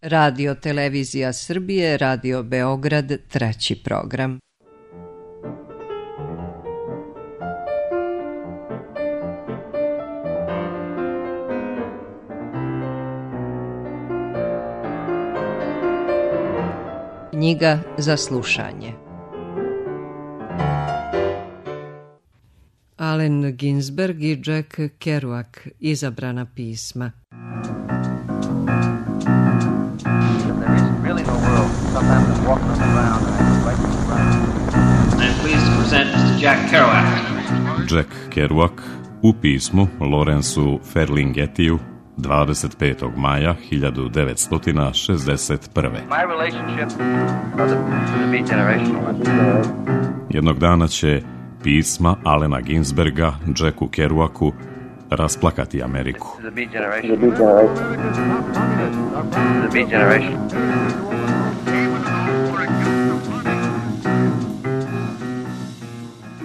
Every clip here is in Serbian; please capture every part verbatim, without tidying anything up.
Radio Televizija Srbije, Radio Beograd, treći program. Knjiga za slušanje. Allen Ginsberg i Jack Kerouac, izabrana pisma. Jack Kerouac u pismu Lawrenceu Ferlinghettiju dvadeset petog maja hiljadu devetsto šezdeset prve. Jednog dana će pisma Allena Ginsberga Jacku Kerouacu rasplakati Ameriku.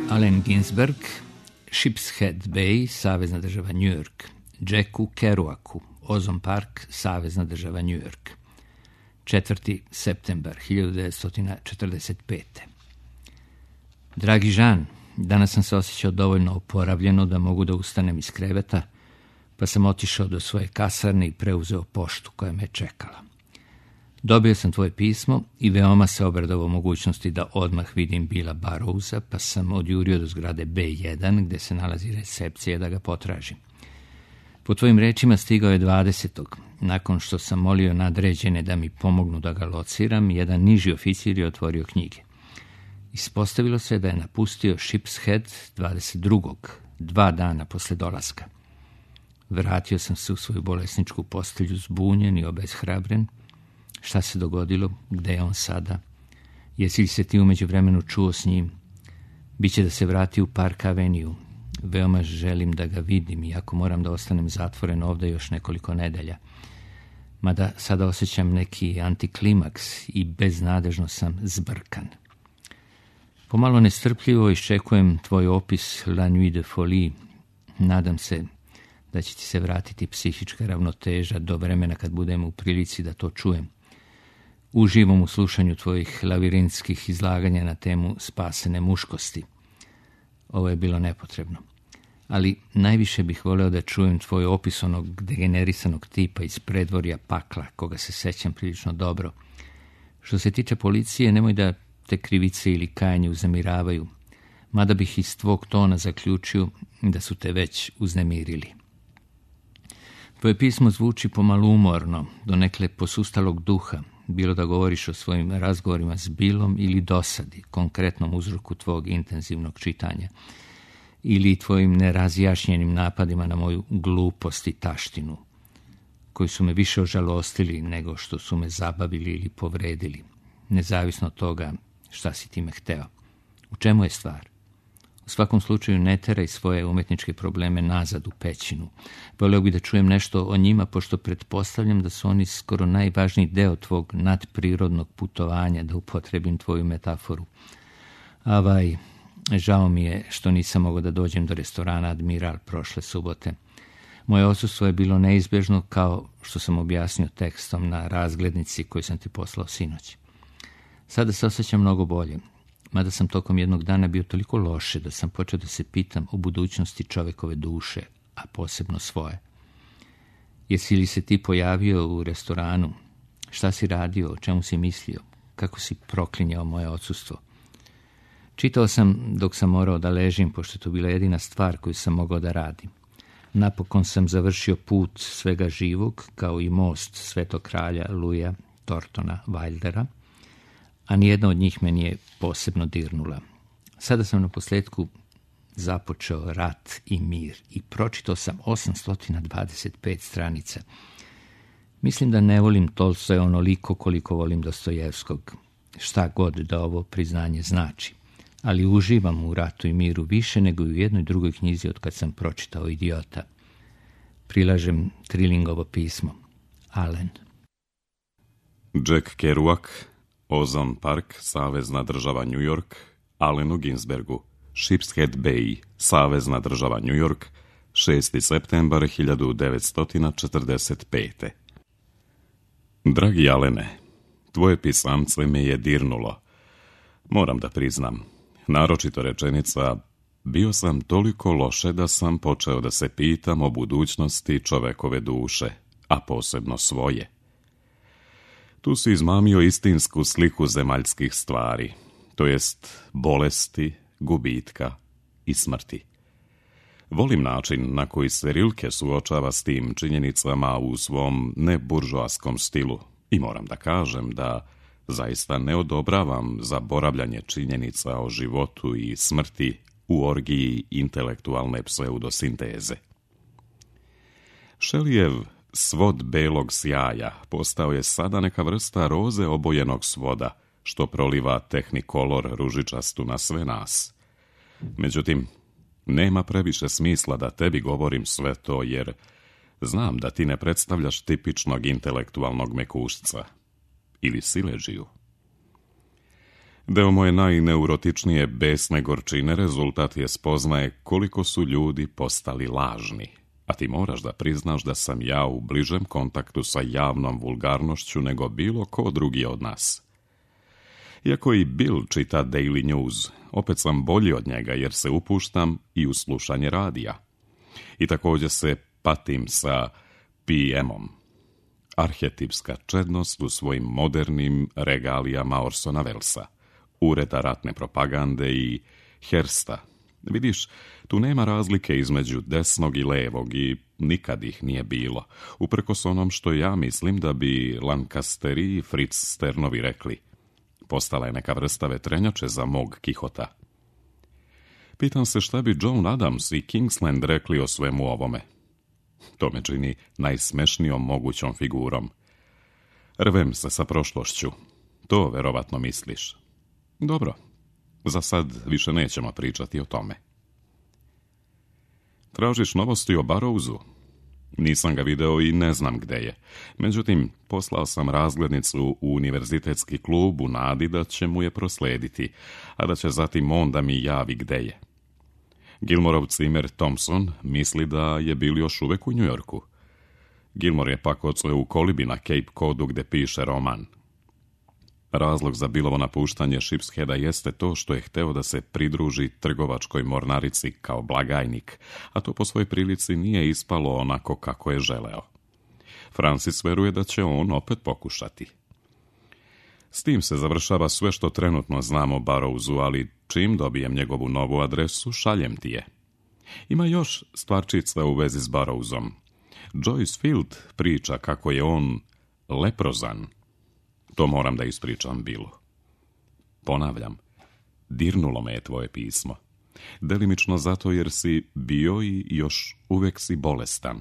Allen Ginsberg, Sheepshead Bay, savezna država New York. Jacku Kerouacu, Ozone Park, savezna država New York. četvrti septembar hiljadu devetsto četrdeset pete. Dragi Žan, danas sam se osjećao dovoljno oporavljeno da mogu da ustanem iz kreveta, pa sam otišao do svoje kasarne i preuzeo poštu koja me čekala. Dobio sam tvoje pismo i veoma se obradovao mogućnosti da odmah vidim Billa Burroughsa, pa sam odjurio do zgrade be jedan gde se nalazi recepcija da ga potražim. Po tvojim rečima stigao je dvadesetog Nakon što sam molio nadređene da mi pomognu da ga lociram, jedan niži oficir je otvorio knjige. Ispostavilo se da je napustio Sheepshead dvadeset drugog dva dana posle dolaska. Vratio sam se u svoju bolesničku postelju zbunjen i obeshrabren. Šta se dogodilo? Gde je on sada? Jesi li se ti umeđu vremenu čuo s njim? Biće da se vrati u Park Avenue. Veoma želim da ga vidim, iako moram da ostanem zatvoren ovde još nekoliko nedelja. Mada sada osjećam neki antiklimaks i beznadežno sam zbrkan. Pomalo nestrpljivo iščekujem tvoj opis La Nuit de Folie. Nadam se da će ti se vratiti psihička ravnoteža do vremena kad budem u prilici da to čujem. Uživam u slušanju tvojih lavirintskih izlaganja na temu spasene muškosti. Ovo je bilo nepotrebno. Ali najviše bih voleo da čujem tvoj opis onog degenerisanog tipa iz predvorja pakla, koga se sećam prilično dobro. Što se tiče policije, nemoj da te krivice ili kajanje uznemiravaju, mada bih iz tvog tona zaključio da su te već uznemirili. Tvoje pismo zvuči pomalo umorno, donekle posustalog duha, bilo da govoriš o svojim razgovorima s Billom ili dosadi, konkretnom uzroku tvog intenzivnog čitanja, ili tvojim nerazjašnjenim napadima na moju glupost i taštinu, koji su me više ožalostili nego što su me zabavili ili povredili, nezavisno od toga šta si time hteo. U čemu je stvar? U svakom slučaju ne teraj svoje umetničke probleme nazad u pećinu. Voleo bih da čujem nešto o njima, pošto pretpostavljam da su oni skoro najvažniji deo tvog nadprirodnog putovanja, da upotrebim tvoju metaforu. Avaj, žao mi je što nisam mogao da dođem do restorana Admiral prošle subote. Moje odsustvo je bilo neizbežno, kao što sam objasnio tekstom na razglednici koju sam ti poslao sinoć. Sada se osjećam mnogo bolje, mada sam tokom jednog dana bio toliko loše da sam počeo da se pitam o budućnosti čovekove duše, a posebno svoje. Jesi li se ti pojavio u restoranu? Šta si radio? O čemu si mislio? Kako si proklinjao moje odsustvo? Čitao sam dok sam morao da ležim, pošto je to bila jedina stvar koju sam mogao da radim. Napokon sam završio put svega živog, kao i most Svetog kralja Luja Tortona Wildera, a nijedna od njih me nije posebno dirnula. Sada sam na posledku započeo Rat i mir i pročitao sam osamsto dvadeset pet stranica. Mislim da ne volim Tolstoja onoliko koliko volim Dostojevskog, šta god da ovo priznanje znači, ali uživam u Ratu i miru više nego i u jednoj drugoj knjizi od kad sam pročitao Idiota. Prilažem Trillingovo pismo. Allen. Jack Kerouac, Ozone Park, savezna država New York, Allenu Ginsbergu, Sheepshead Bay, savezna država New York, šesti septembar hiljadu devetsto četrdeset pete. Dragi Alene, tvoje pisamce me je dirnulo. Moram da priznam, naročito rečenica, bio sam toliko loše da sam počeo da se pitam o budućnosti čovekove duše, a posebno svoje. Tu si izmamio istinsku sliku zemaljskih stvari, to jest bolesti, gubitka i smrti. Volim način na koji se Rilke suočava s tim činjenicama u svom neburžoaskom stilu i moram da kažem da zaista ne odobravam zaboravljanje činjenica o životu i smrti u orgiji intelektualne pseudosinteze. Shelleyjev svod belog sjaja postao je sada neka vrsta roze obojenog svoda, što proliva tehnikolor ružičastu na sve nas. Međutim, nema previše smisla da tebi govorim sve to, jer znam da ti ne predstavljaš tipičnog intelektualnog mekušca ili sileđiju. Deo moje najneurotičnije besne gorčine rezultat je spoznaje koliko su ljudi postali lažni, a ti moraš da priznaš da sam ja u bližem kontaktu sa javnom vulgarnošću nego bilo ko drugi od nas. Iako i Bill čita Daily News, opet sam bolji od njega jer se upuštam i u slušanje radija. I također se patim sa P M-om. Arhetipska čednost u svojim modernim regalijama Orsona Wellesa, ureda ratne propagande i Hersta. Vidiš, tu nema razlike između desnog i levog i nikad ih nije bilo, uprkos onom što ja mislim da bi Lancasteri i Fritz Sternovi rekli. Postala je neka vrsta vetrenjače za mog Kihota. Pitam se šta bi John Adams i Kingsland rekli o svemu ovome. To me čini najsmešnijom mogućom figurom. Rvem se sa prošlošću. To verovatno misliš. Dobro, za sad više nećemo pričati o tome. Tražiš novosti o Burroughsu? Nisam ga video i ne znam gde je. Međutim, poslao sam razglednicu u univerzitetski klub u nadi da će mu je proslediti, a da će zatim on da mi javi gde je. Gilmorov cimer Thompson misli da je bil još uvek u Njujorku. Gilmore je pak odsvojio u kolibi na Cape Codu gde piše roman. Razlog za Billovo napuštanje Shipsheada jeste to što je hteo da se pridruži trgovačkoj mornarici kao blagajnik, a to po svojoj prilici nije ispalo onako kako je želeo. Francis veruje da će on opet pokušati. S tim se završava sve što trenutno znamo o Burroughsu, ali čim dobijem njegovu novu adresu, šaljem ti je. Ima još stvarčica u vezi s Burroughsom. Joyce Field priča kako je on leprozan. To moram da ispričam Billu. Ponavljam, dirnulo me je tvoje pismo. Delimično zato jer si bio i još uvek si bolestan.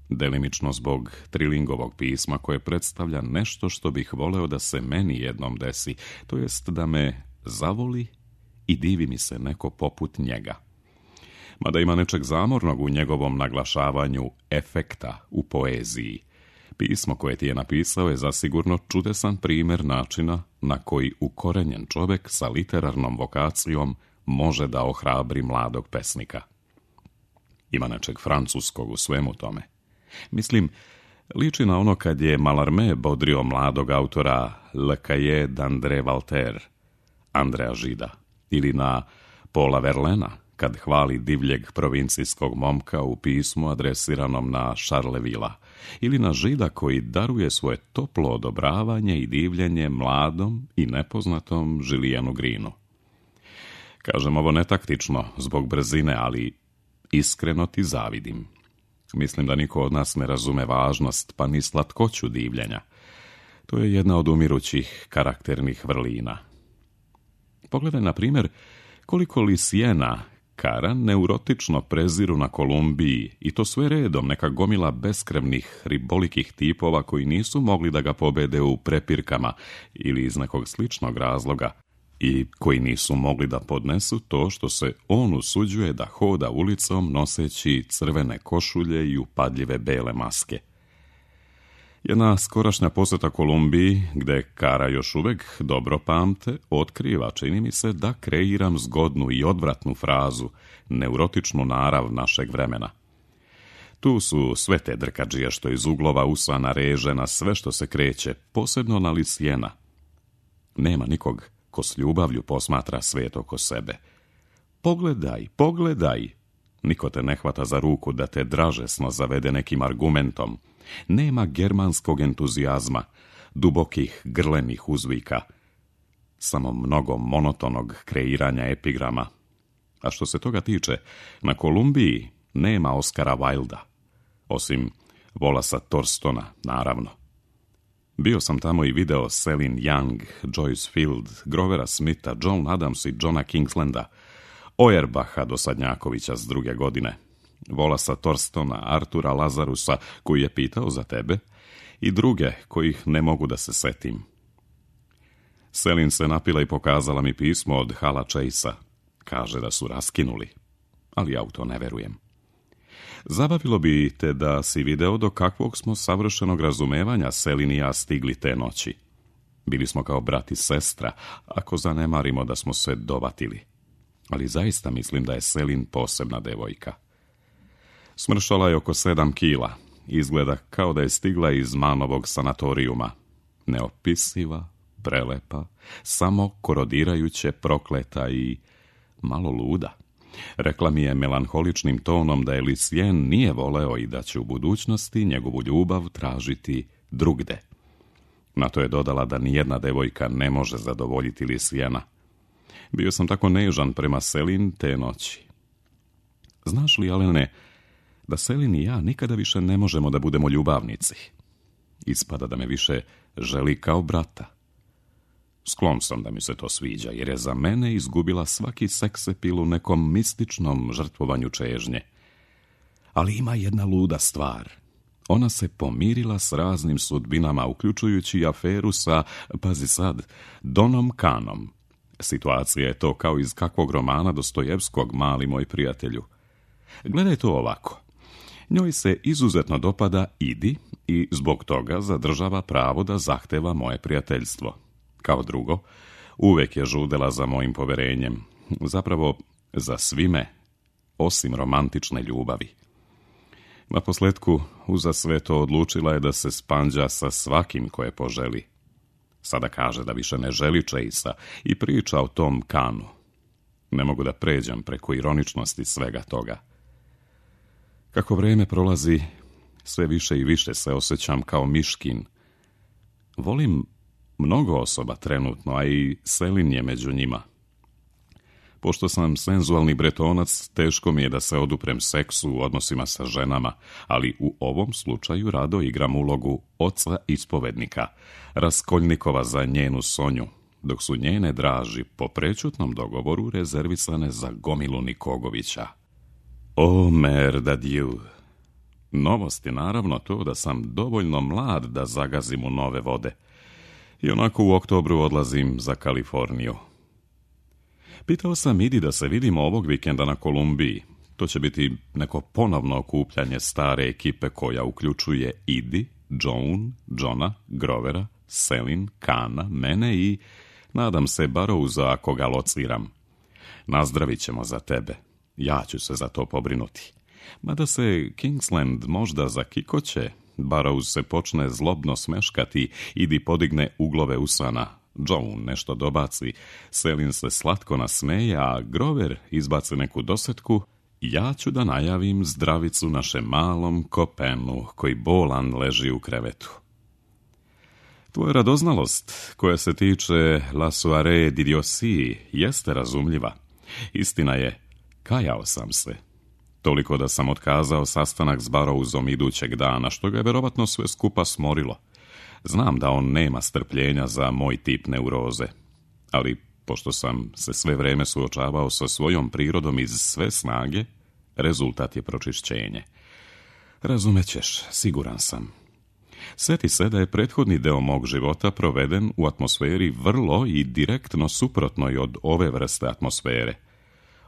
Delimično zbog Trillingovog pisma koje predstavlja nešto što bih voleo da se meni jednom desi, to jest da me zavoli i divi mi se neko poput njega. Mada ima nečeg zamornog u njegovom naglašavanju efekta u poeziji. Pismo koje ti je napisao je zasigurno čudesan primjer načina na koji ukorenjen čovek sa literarnom vokacijom može da ohrabri mladog pesnika. Ima nečeg francuskog u svemu tome. Mislim, liči na ono kad je Mallarmé bodrio mladog autora Le Cahier d'André Walter, Andreja Žida, ili na Paula Verlaina, kad hvali divljeg provincijskog momka u pismu adresiranom na Charlevilla, ili na Žida koji daruje svoje toplo odobravanje i divljenje mladom i nepoznatom Julianu Greenu. Kažem ovo netaktično, zbog brzine, ali iskreno ti zavidim. Mislim da niko od nas ne razume važnost, pa ni slatkoću divljenja. To je jedna od umirućih karakternih vrlina. Pogledaj, na primjer, koliko Lisijena Kara neurotično preziru na Kolumbiji, i to sve redom, neka gomila beskrevnih ribolikih tipova koji nisu mogli da ga pobede u prepirkama ili iz nekog sličnog razloga i koji nisu mogli da podnesu to što se on usuđuje da hoda ulicom noseći crvene košulje i upadljive bele maske. Jedna skorašnja poseta Kolumbiji, gde Kara još uvek dobro pamte, otkriva, čini mi se, da kreiram zgodnu i odvratnu frazu, neurotičnu narav našeg vremena. Tu su sve te drkađije što iz uglova usana reže na sve što se kreće, posebno na Lisijena. Nema nikog ko s ljubavlju posmatra svijet oko sebe. Pogledaj, pogledaj! Niko te ne hvata za ruku da te dražesno zavede nekim argumentom. Nema germanskog entuzijazma, dubokih grlenih uzvika. Samo mnogo monotonog kreiranja epigrama. A što se toga tiče, na Kolumbiji nema Oskara Wilda. Osim Wallaca Thorstona, naravno. Bio sam tamo i video Celine Young, Joyce Field, Grovera Smitha, John Adams i Johna Kingslanda, Auerbacha do Sadnjakovića s druge godine, Wallaca Thorstona, Artura Lazarusa, koji je pitao za tebe, i druge kojih ne mogu da se setim. Celine se napila i pokazala mi pismo od Hala Chasea. Kaže da su raskinuli, ali ja u to ne verujem. Zabavilo bi te da si video do kakvog smo savršenog razumevanja Celine i ja stigli te noći. Bili smo kao brat i sestra, ako zanemarimo da smo se dovatili. Ali zaista mislim da je Celine posebna devojka. Smršala je oko sedam kila. Izgleda kao da je stigla iz Manovog sanatorijuma. Neopisiva, prelepa, samo korodirajuće, prokleta i malo luda. Rekla mi je melanholičnim tonom da je Lucien nije voleo i da će u budućnosti njegovu ljubav tražiti drugde. Na to je dodala da nijedna devojka ne može zadovoljiti Luciena. Bio sam tako nežan prema Celine te noći. Znaš li, Alene, da Celine i ja nikada više ne možemo da budemo ljubavnici? Ispada da me više želi kao brata. Sklon sam da mi se to sviđa, jer je za mene izgubila svaki seksepil u nekom mističnom žrtvovanju čežnje. Ali ima jedna luda stvar. Ona se pomirila s raznim sudbinama, uključujući aferu sa, pazi sad, Donom Kanom. Situacija je to kao iz kakvog romana Dostojevskog, mali moj prijatelju. Gledaj to ovako. Njoj se izuzetno dopada Idi i zbog toga zadržava pravo da zahteva moje prijateljstvo. Kao drugo, uvek je žudela za mojim poverenjem. Zapravo, za svime, osim romantične ljubavi. Naposletku, uza sve to odlučila je da se spanđa sa svakim koje poželi. Sada kaže da više ne želi Chasea i priča o tom Kanu. Ne mogu da pređem preko ironičnosti svega toga. Kako vreme prolazi, sve više i više se osjećam kao miškin. Volim mnogo osoba trenutno, a i Celine je među njima. Pošto sam senzualni bretonac, teško mi je da se oduprem seksu u odnosima sa ženama, ali u ovom slučaju rado igram ulogu oca ispovednika, Raskoljnikova za njenu Sonju, dok su njene draži po prečutnom dogovoru rezervisane za gomilu Nikogovića. O, mère de Dieu! Novost je naravno to da sam dovoljno mlad da zagazim u nove vode. I onako u oktobru odlazim za Kaliforniju. Pitao sam Idi da se vidimo ovog vikenda na Kolumbiji. To će biti neko ponovno okupljanje stare ekipe koja uključuje Idi, Joan, Johna, Grovera, Celine, Kana, mene i, nadam se, Barrowsa ako ga lociram. Nazdravit ćemo za tebe. Ja ću se za to pobrinuti. Mada se Kingsland možda zakikoće, Barrows se počne zlobno smeškati, Idi podigne uglove usana, Joan nešto dobaci, Celine se slatko nasmeje, a Grover izbaci neku dosetku, ja ću da najavim zdravicu našem malom Kopenu, koji bolan leži u krevetu. Tvoja radoznalost, koja se tiče La soirée d'idiotie, jeste razumljiva. Istina je, kajao sam se. Toliko da sam otkazao sastanak s Barrowsom idućeg dana, što ga je verovatno sve skupa smorilo. Znam da on nema strpljenja za moj tip neuroze, ali pošto sam se sve vreme suočavao sa svojom prirodom iz sve snage, rezultat je pročišćenje. Razumećeš, siguran sam. Sjeti se da je prethodni deo mog života proveden u atmosferi vrlo i direktno suprotnoj od ove vrste atmosfere.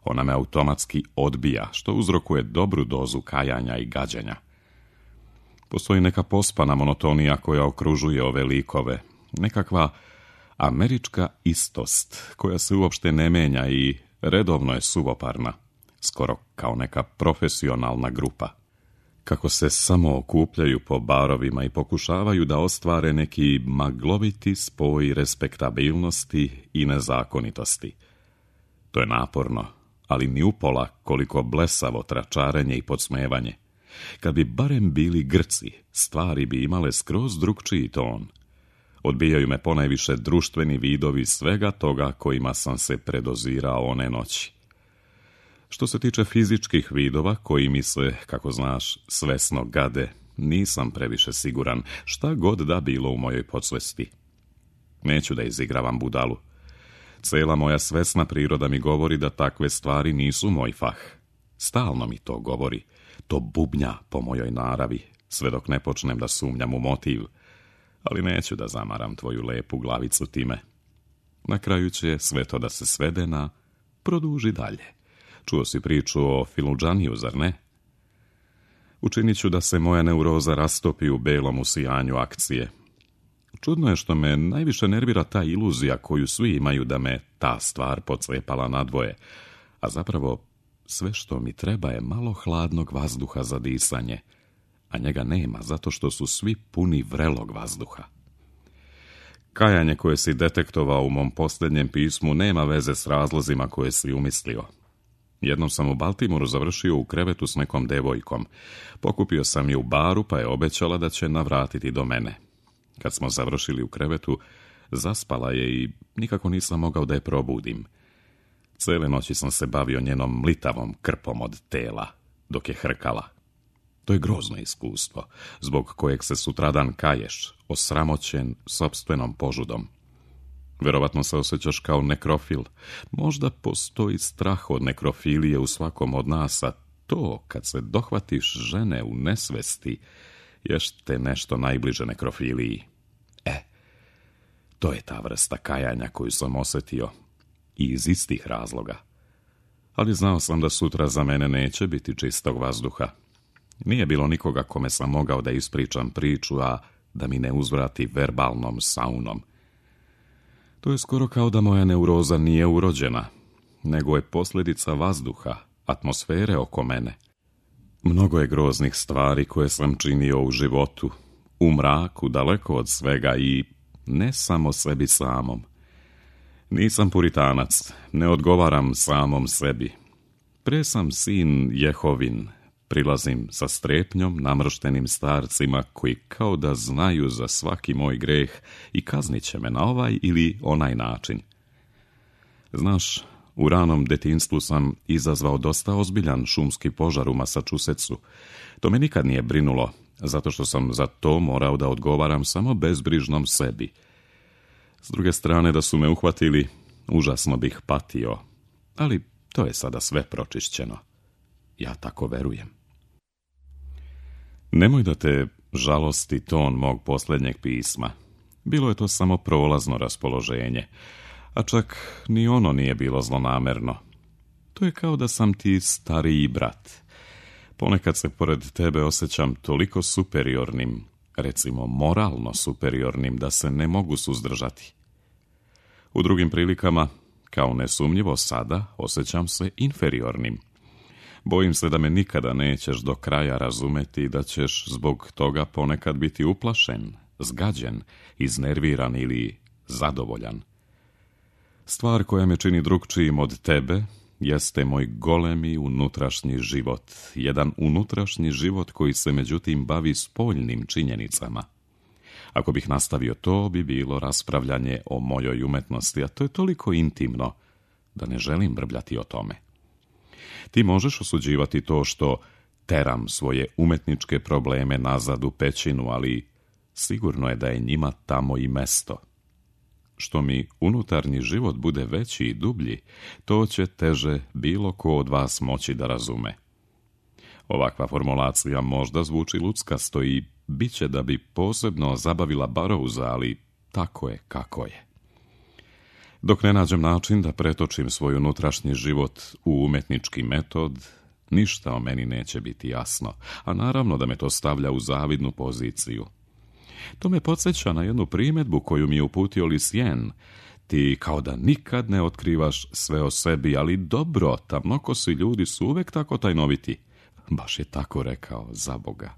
Ona me automatski odbija, što uzrokuje dobru dozu kajanja i gađanja. Postoji neka pospana monotonija koja okružuje ove likove, nekakva američka istost koja se uopšte ne menja i redovno je suvoparna, skoro kao neka profesionalna grupa. kako se samo okupljaju po barovima i pokušavaju da ostvare neki magloviti spoj respektabilnosti i nezakonitosti. To je naporno, ali ni upola koliko blesavo tračarenje i podsmevanje. Kad bi barem bili Grci, stvari bi imale skroz drukčiji ton. Odbijaju me ponajviše društveni vidovi svega toga kojima sam se predozirao one noći. Što se tiče fizičkih vidova koji mi se, kako znaš, svesno gade, nisam previše siguran šta god da bilo u mojoj podsvesti. Neću da izigravam budalu. Cela moja svesna priroda mi govori da takve stvari nisu moj fah. Stalno mi to govori. To bubnja po mojoj naravi, sve dok ne počnem da sumnjam u motiv. Ali neću da zamaram tvoju lepu glavicu time. Na kraju će sve to da se svede na produži dalje. Čuo si priču o Filudžaniju, zar ne? Učinit ću da se moja neuroza rastopi u belom usijanju akcije. Čudno je što me najviše nervira ta iluzija koju svi imaju da me ta stvar pocepala nadvoje, a zapravo sve što mi treba je malo hladnog vazduha za disanje, a njega nema zato što su svi puni vrelog vazduha. Kajanje koje si detektovao u mom posljednjem pismu nema veze s razlozima koje si umislio. Jednom sam u Baltimoru završio u krevetu s nekom devojkom. Pokupio sam je u baru pa je obećala da će navratiti do mene. Kad smo završili u krevetu, zaspala je i nikako nisam mogao da je probudim. Cele noći sam se bavio njenom mlitavom krpom od tela, dok je hrkala. To je grozno iskustvo, zbog kojeg se sutradan kaješ, osramoćen sopstvenom požudom. Verovatno se osjećaš kao nekrofil. Možda postoji strah od nekrofilije u svakom od nas, a to, kad se dohvatiš žene u nesvesti, ješte nešto najbliže nekrofiliji. E, to je ta vrsta kajanja koju sam osjetio. I iz istih razloga. Ali znao sam da sutra za mene neće biti čistog vazduha. Nije bilo nikoga kome sam mogao da ispričam priču, a da mi ne uzvrati verbalnom saunom. To je skoro kao da moja neuroza nije urođena, nego je posljedica vazduha, atmosfere oko mene. Mnogo je groznih stvari koje sam činio u životu, u mraku, daleko od svega i ne samo sebi samom. Nisam puritanac, ne odgovaram samom sebi. Pre sam sin Jehovin, prilazim sa strepnjom namrštenim starcima koji kao da znaju za svaki moj greh i kaznit će me na ovaj ili onaj način. Znaš, u ranom detinjstvu sam izazvao dosta ozbiljan šumski požar u Masačusetsu. To me nikad nije brinulo, zato što sam za to morao da odgovaram samo bezbrižnom sebi. S druge strane, da su me uhvatili, užasno bih patio, ali to je sada sve pročišćeno. Ja tako verujem. Nemoj da te žalosti ton mog posljednjeg pisma. Bilo je to samo prolazno raspoloženje, a čak ni ono nije bilo zlonamerno. To je kao da sam ti stariji brat. Ponekad se pored tebe osjećam toliko superiornim, recimo moralno superiornim, da se ne mogu suzdržati. U drugim prilikama, kao nesumnjivo sada, osjećam se inferiornim. Bojim se da me nikada nećeš do kraja razumeti i da ćeš zbog toga ponekad biti uplašen, zgađen, iznerviran ili zadovoljan. Stvar koja me čini drukčijim od tebe jeste moj golemi unutrašnji život, jedan unutrašnji život koji se međutim bavi spoljnim činjenicama. Ako bih nastavio, to bi bilo raspravljanje o mojoj umetnosti, a to je toliko intimno da ne želim brbljati o tome. Ti možeš osuđivati to što teram svoje umetničke probleme nazad u pećinu, ali sigurno je da je njima tamo i mesto. Što mi unutarnji život bude veći i dublji, to će teže bilo ko od vas moći da razume. Ovakva formulacija možda zvuči luckasto i bit će da bi posebno zabavila Barouza, ali tako je kako je. Dok ne nađem način da pretočim svoj unutrašnji život u umetnički metod, ništa o meni neće biti jasno, a naravno da me to stavlja u zavidnu poziciju. To me podsjeća na jednu primjedbu koju mi je uputio Lisjen. Ti kao da nikad ne otkrivaš sve o sebi, ali dobro, tamnokosi ljudi su uvek tako tajnoviti. baš je tako rekao, za Boga.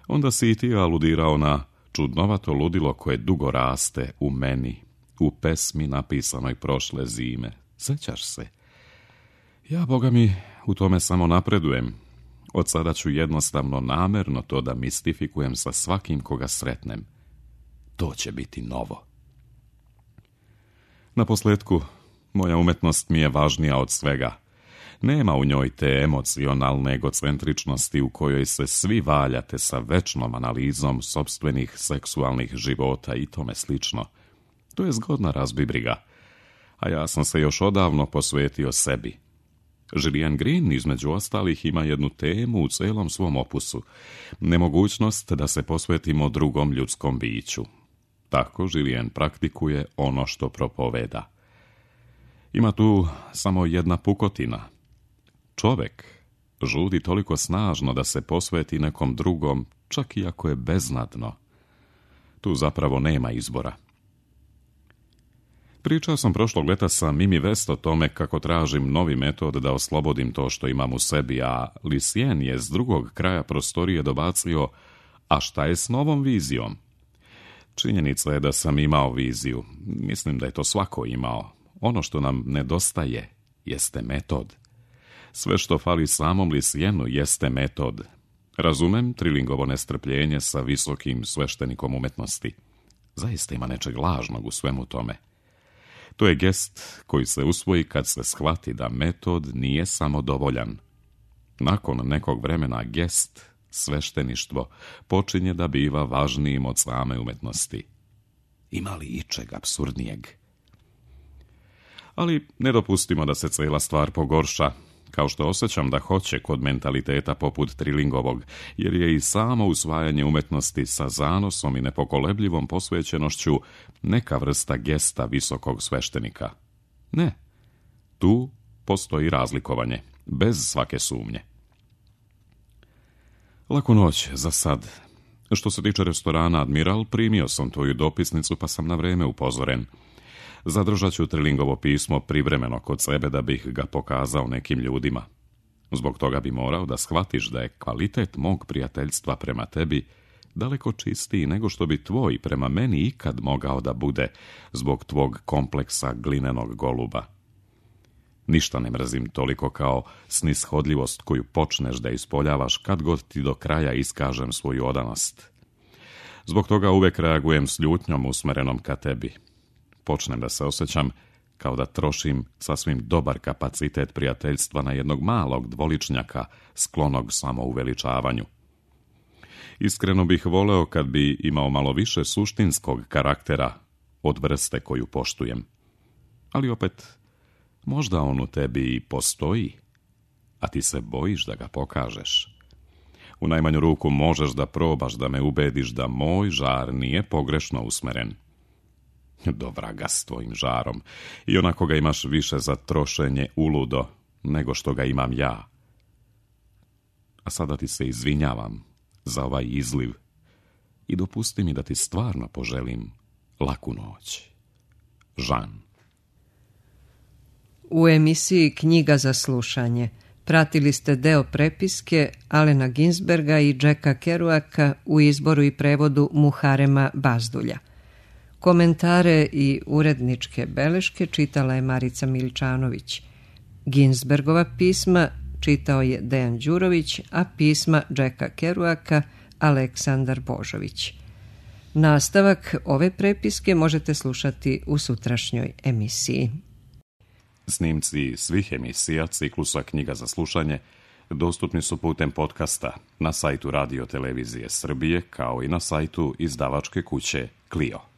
Onda si i ti aludirao na čudnovato ludilo koje dugo raste u meni, u pesmi napisanoj prošle zime. Sjećaš se? Ja, Boga mi, u tome samo napredujem. Od sada ću jednostavno namerno to da mistifikujem sa svakim koga sretnem. To će biti novo. Na posljetku, moja umetnost mi je važnija od svega. Nema u njoj te emocionalne egocentričnosti u kojoj se svi valjate sa večnom analizom sopstvenih seksualnih života i tome slično. To je zgodna razbibriga, a ja sam se još odavno posvetio sebi. Julian Green, između ostalih, ima jednu temu u celom svom opusu. Nemogućnost da se posvetimo drugom ljudskom biću. Tako Julian praktikuje ono što propoveda. Ima tu samo jedna pukotina. Čovjek žudi toliko snažno da se posveti nekom drugom, čak i ako je beznadno. Tu zapravo nema izbora. Pričao sam prošlog leta sa Mimi West o tome kako tražim novi metod da oslobodim to što imam u sebi, a Lucien je s drugog kraja prostorije dobacio: a šta je s novom vizijom? Činjenica je da sam imao viziju. Mislim da je to svako imao. Ono što nam nedostaje jeste metod. Sve što fali samom Lucienu jeste metod. Razumem Trillingovo nestrpljenje sa visokim sveštenikom umetnosti. Zaista ima nečeg lažnog u svemu tome. To je gest koji se usvoji kad se shvati da metod nije samo dovoljan. Nakon nekog vremena gest, svešteništvo, počinje da biva važnijim od same umetnosti. Ima li ičeg apsurdnijeg? Ali ne dopustimo da se cijela stvar pogorša, kao što osjećam da hoće kod mentaliteta poput Trillingovog, jer je i samo usvajanje umetnosti sa zanosom i nepokolebljivom posvećenošću neka vrsta gesta visokog sveštenika. Ne, tu postoji razlikovanje, bez svake sumnje. Laku noć za sad. Što se tiče restorana Admiral, primio sam tvoju dopisnicu pa sam na vrijeme upozoren. Zadržat ću Trillingovo pismo privremeno kod sebe da bih ga pokazao nekim ljudima. Zbog toga bi morao da shvatiš da je kvalitet mog prijateljstva prema tebi daleko čistiji nego što bi tvoj prema meni ikad mogao da bude zbog tvog kompleksa glinenog goluba. Ništa ne mrzim toliko kao snishodljivost koju počneš da ispoljavaš kad god ti do kraja iskažem svoju odanost. Zbog toga uvek reagujem s ljutnjom usmerenom ka tebi. Počnem da se osjećam kao da trošim sasvim dobar kapacitet prijateljstva na jednog malog dvoličnjaka sklonog samouveličavanju. Iskreno bih voleo kad bi imao malo više suštinskog karaktera od vrste koju poštujem. Ali opet, možda on u tebi i postoji, a ti se bojiš da ga pokažeš. U najmanju ruku možeš da probaš da me ubediš da moj žar nije pogrešno usmeren. Do vraga s tvojim žarom, i onako ga imaš više za trošenje uludo nego što ga imam ja. A sada ti se izvinjavam za ovaj izliv i dopusti mi da ti stvarno poželim laku noć. Žan. U emisiji Knjiga za slušanje pratili ste deo prepiske Alena Ginsberga i Jacka Kerouaka u izboru i prevodu Muharema Bazdulja. Komentare i uredničke beleške čitala je Marica Miličanović. Ginsbergova pisma čitao je Dejan Đurović, a pisma Jacka Kerouaka Aleksandar Božović. Nastavak ove prepiske možete slušati u sutrašnjoj emisiji. Snimci svih emisija ciklusa Knjiga za slušanje dostupni su putem podcasta na sajtu Radio Televizije Srbije kao i na sajtu izdavačke kuće Clio.